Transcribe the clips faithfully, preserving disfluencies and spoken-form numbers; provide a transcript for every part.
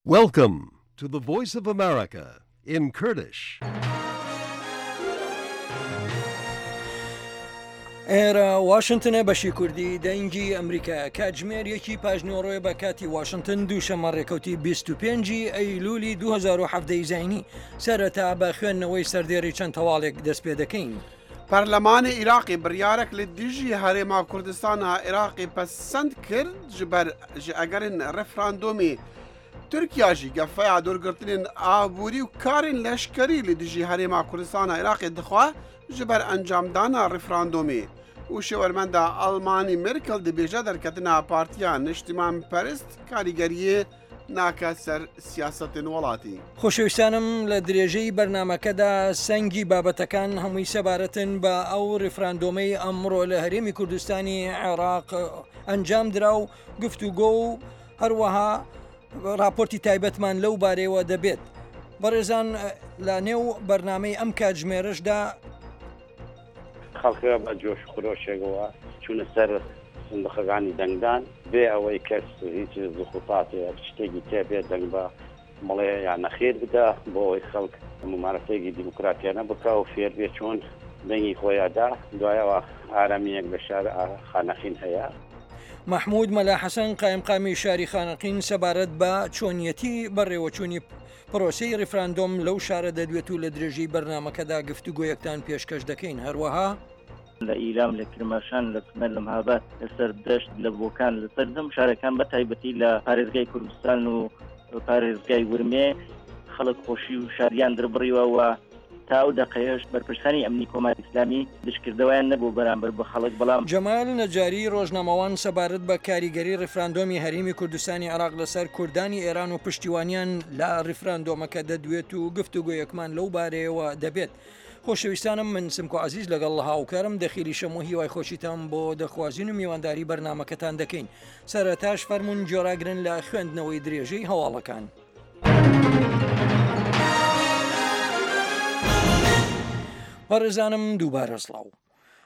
Welcome to the Voice of America in Kurdish. ئێرە واشنتنە بەشی کوردی دەنگی ئەمریکا کاتژمێر یەکی پاژنیوەڕۆیە بە کاتی واشنتن دووشەممە ڕێکەوتی بیست و پێنج ی ئەیلولی دوو هەزار و حەڤدە ی زاینی سەرەتا بە خوێندنەوەی سەردێڕی چەند هەواڵێک دەست پێ دەکەین. پەرلەمانی عیراقی بڕیارێک لە دژی هەرێما کوردستانا عیراقی پەسەند کرد ji ber ji egerên referandûmê Tirkiya jî gefeya dûrgirtinên aborî û karên leşkerî li dijî Herêma Kurdistana Iraqê dixwe ji ber encamdana referandûmê û şêwermenda Almanî Merkel dibêje derketina Partiya Niştimanperest karîgeriyê nake ser siyasetên welatî. خۆشەویستانم لە درێژەی بەرنامەکەدا سەنگی بابەتەکان هەمووی سەبارەتن بە ئەو ڕیفراندۆمەی ئەمڕۆ لە هەرێمی کوردستانی عێراق ئەنجام درا و گفتوگۆ و هەروەها راپۆرتی تایبەتمان لەو بارەیەوە دەبێت. بەڕێزان لە نێو بەرنامەی ئەم کاتژمێرەشدا خەڵکە بە جۆش خرۆشێکەوە چوونە سەر سندوقەکانی دەنگدان بێ ئەوەی کەس هیچ زوخوتاتێ شتێکی تێبێ دەنگ بە مڵێ یان نەخێر بدا بۆ ئەوەی خەڵک ممارەسەیەکی دیموکراتیانە بکا و فێر بێ چۆن دەنگی خۆیادا. دوایەوە ئارامیەک لە شار خانەقین هەیە. مەحمود مەلا حەسەن قایمقامی شاری خانەقین سەبارەت بە چۆنیەتی بەڕێوەچوونی پرۆسەی ڕیفراندۆم لەو شارە دەدوێت و لە درێژەی بەرنامەکەدا گفتوگۆیەکتان پێشکەش دەکەین. هەروەها لە ئیلام، لە کرماشان، لە سنە، لە مهاباد، لە سەردەشت، لە بۆکان، لە سەرجەم شارەکان بە تایبەتی لە پارێزگای کوردستان و پارێزگای ورمێ خەڵک خۆشی و شادیان دەربڕیوە و تا ئەو دەقەیەش بەرپرسانی ئەمنی کۆماری ئیسلامی دژکردەوەیان نەبوو بەرامبەر بە خەڵک. بەڵام جەمال نەجاری ڕۆژنامەوان سەبارەت بە کاریگەری ڕیفراندۆمی هەرێمی کوردستانی عێراق لەسەر کوردانی ئێران و پشتیوانیان لە ڕیفراندۆمەکە دەدوێت و گفتوگۆیەکمان لەو بارەیەوە دەبێت. خۆشەویستانم من سمکۆ عەزیز لەگەڵ هاوکارم دەخیلی شەم و هیوای خۆشیتان بۆ دەخوازین و میوانداری بەرنامەکەتان دەکەین. سەرەتاش فەرمونون گۆراگرن لە خوێندنەوەی درێژەی هەواڵەکان. بەڕێزانم دووبارە سڵاو.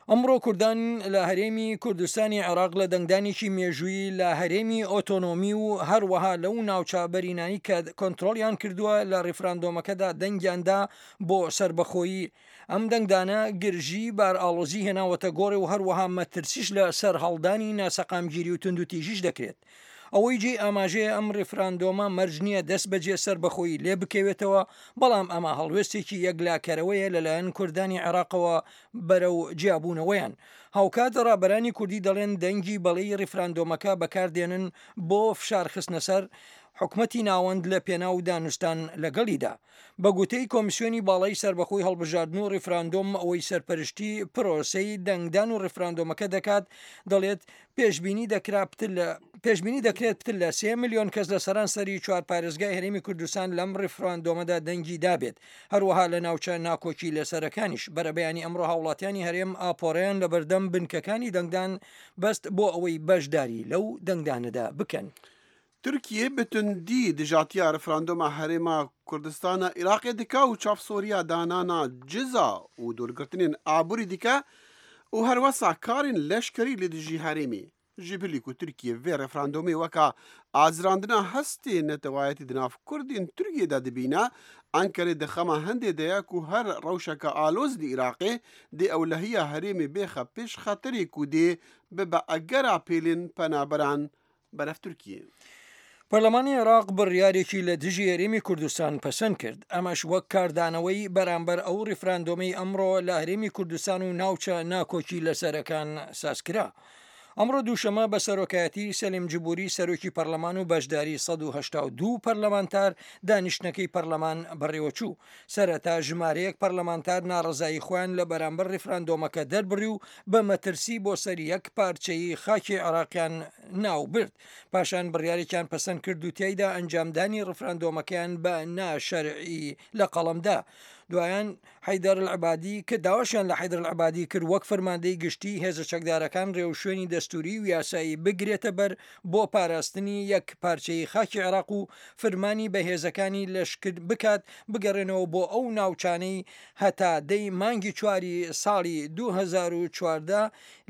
ئەمڕۆ کوردان لە هەرێمی کوردستانی عێراق لە دەنگدانێکی مێژوویی لە هەرێمی ئۆتۆنۆمی و هەروەها لەو ناوچە بەرینانی کە کۆنتترۆلیان کردووە لە ڕیفراندۆمەکەدا دەنگیاندا بۆ سربەخۆیی. ئەم دەنگدانە گرژی بارئاڵۆزی هێناوەتە گۆڕێ و هەروەها مەترسیش لە سەرهەڵدانی ناسەقامگیری و توندوتیژیش دەکرێت. ئەوەی جێی ئاماژەیە ئەم ڕیفراندۆمە مەرج نییە دەست بەجێ سەربەخۆیی لێ بکەوێتەوە، بەڵام ئەمە هەڵوێستێکی یەکلاکەرەوەیە لەلایەن کوردانی عێراقەوە بەرەو جیابوونەوەیان. هاوکات ڕابەرانی کوردی دەڵێن دەنگی بەڵێی ڕیفراندۆمەکە بەکاردێنن بۆ فشار خستنە سەر حکومەتی ناوەند لە پێناو دانوستان لەگەڵیدا. بە گوتەی کۆمیسیۆنی باڵای سەربەخۆی هەڵبژاردن و ڕیفراندۆم ئەوەی سەرپەرشتی پرۆسەی دەنگدان و ڕیفراندۆمەکە دەکات دەڵێت پێشبینی دەکرا پتر لە پێشبینی دەکرێت پتر لە سێ ملیۆن کەس لە سەرانسەری چوار پارێزگای هەرێمی کوردستان لەم ڕیفراندۆمەدا دەنگی دابێت. هەروەها لە ناوچە ناکۆکی لەسەرەکانیش بەرەبەیانی ئەمڕۆ هاوڵاتیانی هەرێم ئاپۆرەیان لەبەردەم بنکەکانی دەنگدان بەست بۆ ئەوەی بەشداری لەو دەنگدانەدا بکەن. ترکیه به تندی دژاتیا رفراندوم هەرێما کوردستانا عراقê dike û çavsoriya danana ciza û dûrgirtinên aborî dike û herwesa karên leşkerî li dijî herêmê. Ji bilî ku Tirkiye vê referandomê weka azirandina hestê netewayetî di nav Kurdên Tirkiyê de dibîne, Enqerê di xema hindê de ye ku her rewşeke aloz li Iraqê dê ewlehiya herêmê bêxe pêş xeterê ku dê bibe egera pêlên penaberan berev Tirkiyê. پەرلەمانی عێراق بڕیارێکی لە دژی هەرێمی کوردستان پەسەند کرد، ئەمەش وەک کاردانەوەی بەرامبەر ئەو ڕیفراندۆمەی ئەمڕۆ لە هەرێمی کوردستان و ناوچە ناکۆکی لەسەرەکان سازکرا. ئەمڕۆ دووشەمە بە سەرۆکایەتی سەلیم جبوری سەرۆکی پەرلەمان و بەشداری سەد و هەشتا و دوو پەرلەمانتار دانیشتنەکەی پەرلەمان بەڕێوەچوو. سەرەتا ژمارەیەک پەرلەمانتار ناڕەزایی خۆیان لە بەرامبەر ڕیفراندۆمەکە دەربڕی و بە مەترسی بۆ سەر یەک پارچەی خاکی عێراقیان ناوبرد. پاشان بڕیارێکیان پەسەند کرد و تیایدا ئەنجامدانی ڕیفراندۆمەکەیان بە ناشەرعی لە قەڵەمدا. دوایان حەیدەر العبادی کە داواشیان لە حەیدەر العبادی کرد وەک فەرماندەی گشتی هێزە چەکدارەکان ڕێوشوێنی دەستوری و یاسایی بگرێتە بەر بۆ پاراستنی یەک پارچەی خاکی عێراق و فرمانی بە هێزەکانی لەشکر بکات بگەڕێنەوە بۆ ئەو ناوچانەی هەتا دەی مانگی چواری ساڵی دوو هەزار و چواردە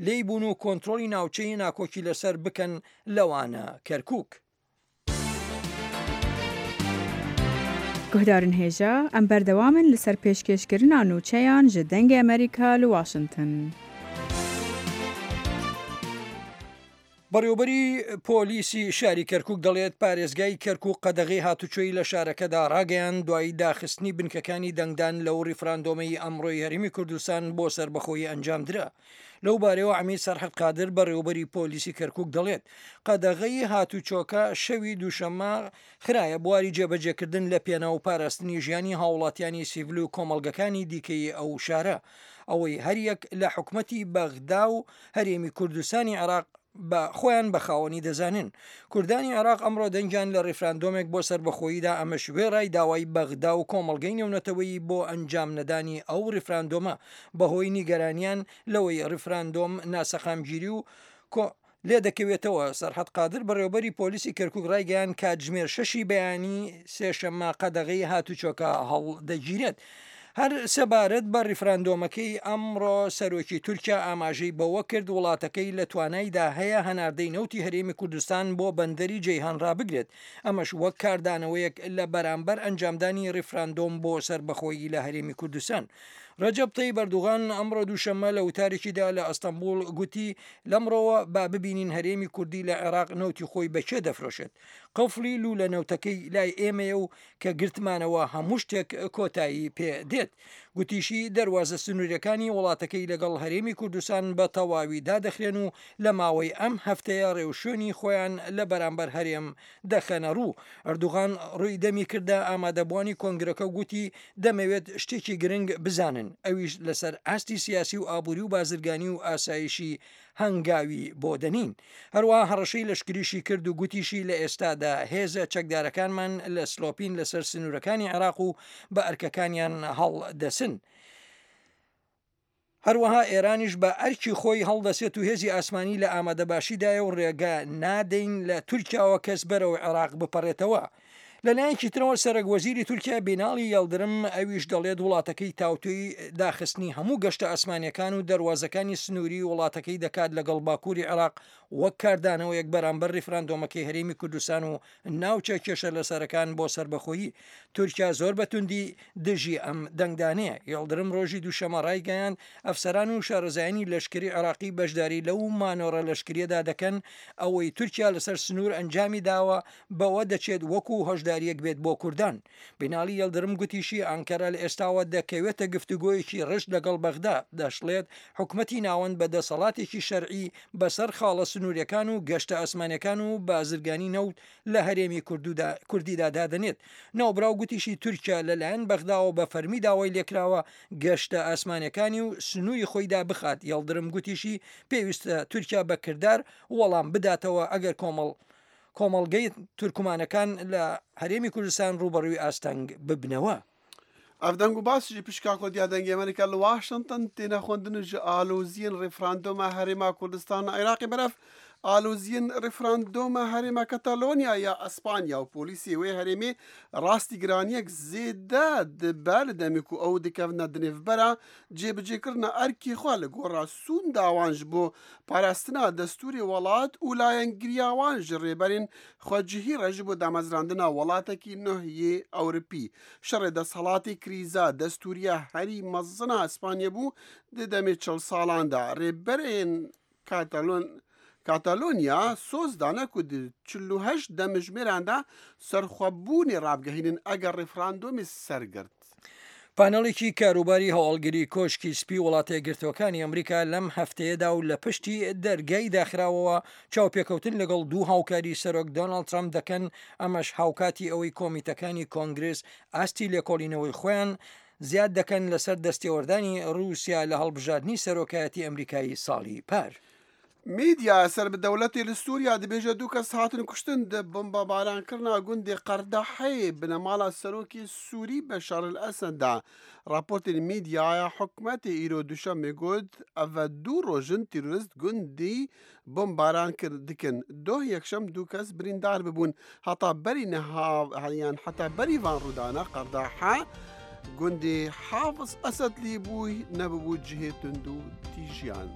لێی بوون و کۆنترۆڵی ناوچەی ناکۆکی لەسەر بکەن لەوانە کەرکوک. Guhdarên hêja em berdewam in li ser pêşkêşkirina nûçeyan ji Dengê Amerîka li Washington. بەڕێوبەری پۆلیسی شاری کەرکک دەڵێت پارێزگای کەرکک قەدەغی هاتوچۆی لە شارەکەدا ڕاگەیان دوایی داخستنی بنکەکانی دەنگدان لەو ڕیفراندۆمەی ئەمڕۆی هەرێمی کوردستان بۆ سەربەخۆیی ئەنجامدرا. لەو بارەوە عەمید سەرحەد قادر بەڕێوبەری پۆلیسی کەرکک دەڵێت قەدەغەی هاتوچۆکە شەوی دووشەممە خرایە بواری جێبەجێکردن لە پێناو و پاراستنی ژیانی هاوڵاتیانی سیڤل و کۆمەڵگەکانی دیکەی ئەو شارە، ئەوەی هەریەک لە حکومەتی بەغدا و هەرێمی کوردستانی عێراق بە خۆیان بە خاوەنی دەزانن. کوردانی عێراق ئەمڕۆ دەنگیان لە ڕیفراندۆمێک بۆ سەربەخۆییدا، ئەمەش وێڕای داوای بەغدا و کۆمەڵگەی نێونەتەوەیی بۆ ئەنجام نەدانی ئەو ڕیفراندۆمە بەهۆی نیگەرانیان لەوەی ڕیفراندۆم ناسەقامگیری و کۆ لێ دەکەوێتەوە. سەرحەد قادر بەڕێوبەری پۆلیسی کەرکک ڕایگەیان کاتژمێر شەشی بەیانی سێشەممە قەدەغەی هاتوچۆکە هەڵدەگیرێت. هەر سەبارەت بە ڕیفراندۆمەکەی ئەمڕۆ سەرۆکی تورکیا ئاماژەی بەوە کرد وڵاتەکەی لە توانایدا هەیە هەناردەی نەوتی هەرێمی کوردستان بۆ بەندەری جەیهان ڕابگرێت، ئەمەش وەک کاردانەوەیەک لە بەرامبەر ئەنجامدانی ڕیفراندۆم بۆ سەربەخۆیی لە هەرێمی کوردستان. ڕەجەب تەیب ئەردوغان ئەمڕۆ دووشەممە لە وتارێکیدا لە ئەستەنبوڵ گوتی لەمڕۆوە با ببینین هەرێمی کوردی لە عێراق نەوتی خۆی بە کێ دەفرۆشێت. قفڵی لوولە نەوتەکەی لای ئێمەیە و کە گرتمانەوە هەموو شتێک کۆتایی پێ دێت. گوتیشی دەروازە سنووریەکانی وڵاتەکەی لەگەڵ هەرێمی کوردستان بە تەواوی دادەخرێن و لە ماوەی ئەم هەفتەیە ڕێوشوێنی خۆیان لە بەرامبەر هەرێم دەخەنە ڕوو. ئەردوغان ڕووی دەمی کردە ئامادەبووانی کۆنگرەکە و گوتی دەمەوێت شتێکی گرنگ بزانن، ئەویش لەسەر ئاستی سیاسی و ئابووری و بازرگانی و ئاسایشی هەنگاوی بۆ دەنین. هەروەها هەڕەشەی لەشکریشی کرد و گوتیشی لە ئێستادا هێزە چەکدارەکانمان لە سلۆپین لەسەر سنوورەکانی عێراق و بە ئەرکەکانیان هەڵدەسن. هەروەها ئێرانیش بە ئەرکی خۆی هەڵدەسێت و هێزی ئاسمانی لە ئامادەباشیدایە و ڕێگە نادەین لە تورکیاوە کەس بەرەو عێراق بپەڕێتەوە. لەلایەکی ترەوە سەرەک وەزیری تورکیا بیناڵی یەڵدرم ئەویش دەڵێت وڵاتەکەی تاوتوێی داخستنی هەموو گەشتە ئاسمانیەکان و دەروازەکانی سنووری وڵاتەکەی دەکات لەگەڵ باکووری عێراق وەک کاردانەوەیەک بەرامبەر ڕیفراندۆمەکەی هەرێمی کوردستان و ناوچە کێشە لەسەرەکان بۆ سەربەخۆیی. تورکیا زۆر بە توندی دژی ئەم دەنگدانەیە. یەڵدرم ڕۆژی دووشەمە ڕایگەیاند ئەفسەران و شارەزایانی لەشکری عێراقی بەشداری لەو مانۆڕە لەشکریەدا دەکەن ئەوەی تورکیا لەسەر سنوور ئەنجامی داوە بەوە دەچێت وەکو هۆشداریەک بێت بۆ کوردان. بینالی یەڵدرم گوتیشی ئانکەرە لە ئێستاوە دەکەوێتە گفتوگۆیەکی ڕشت لەگەڵ بەغدا. دەشڵێت حکومەتی ناوەند بە دەسەڵاتێکی شەرعی بەسەر خاڵە سنووریەکان و گەشتە ئاسمانیەکان و بازرگانی نەوت لە هەرێمی کوردیدا دادەنێت. ناوبراو گوتیشی تورکیا لەلایەن بەغداوە بە فەرمی داوای لێکراوە گەشتە ئاسمانیەکانی و سنووری خۆیدا بخات. یەڵدرم گوتیشی پێویستە تورکیا بە کردار وەڵام بداتەوە ئەگەر کۆمەڵ کۆمەڵگەی تورکمانەکان لە هەرێمی کوردستان ڕووبەڕووی ئاستەنگ ببنەوە. ئەف دەنگ و باس ji pişka Kurdiya Dengê Amerîka li Washington têne xwendin ji aloziyên referandoma Herêma Kurdistana Iraqê berev aloziyên referandoma Herêma Katalonya ya Îspanya û polîsê wê herêmê rastî giraniyek zêde dibe li demê ku ew dikevine di nêvbera cêbicêkirina erkê xwe li gora sûnda wan ji bo parastina destûrê welat û layengiriya wan ji rêberên xwecihî re ji bo damezrandina welatekî nuh yê Ewropî. Şerê desthilatê krîza destûriya herî mezin a Îspanya bû di demê çil salan de. Rêberên Katalon Katalonya soz dane ku di çil û heşt demjimêran de serxwebûnê rabgehînin eger referandomê sergirt. پانەڵێکی کاروباری هەواڵگری کۆشکی سپی وڵاتە یەکگرتووەکانی ئەمریکا لەم هەفتەیەدا و لە پشتی دەرگای داخراوەوە چاوپێکەوتن لەگەڵ دوو هاوکاری سەرۆک دۆناڵد ترەمپ دەکەن، ئەمەش هاوکاتی ئەوەی کۆمیتەکانی کۆنگرس ئاستی لێکۆڵینەوەی خۆیان زیاد دەکەن لەسەر دەستێوەردانی رووسیا لە هەڵبژاردنی سەرۆکایەتی ئەمریکایی ساڵی پار. میدیا سەر بە دەوڵەتی لە سووریا دەبێژە دوو کەس هاتن کوشتن di بۆمبابارانکردنا گوندی قەردەحەی بنەماڵە سەرۆکی سووری بەشار ئەسەددا. راپۆرتên میدیaya حکومەتی ئیرۆ دوشەمê got ev دوو ڕۆژن تیرۆریست گوندی بۆمباران dikin. Doh yekşem دوو کەس بریندار ببوون. هەتا بەری نەها یان حتا بەری van ڕوودانە قەردەحە گوندی حافظ ئەسەد لێ بووی نەببوو جهێ توند و تیژیان.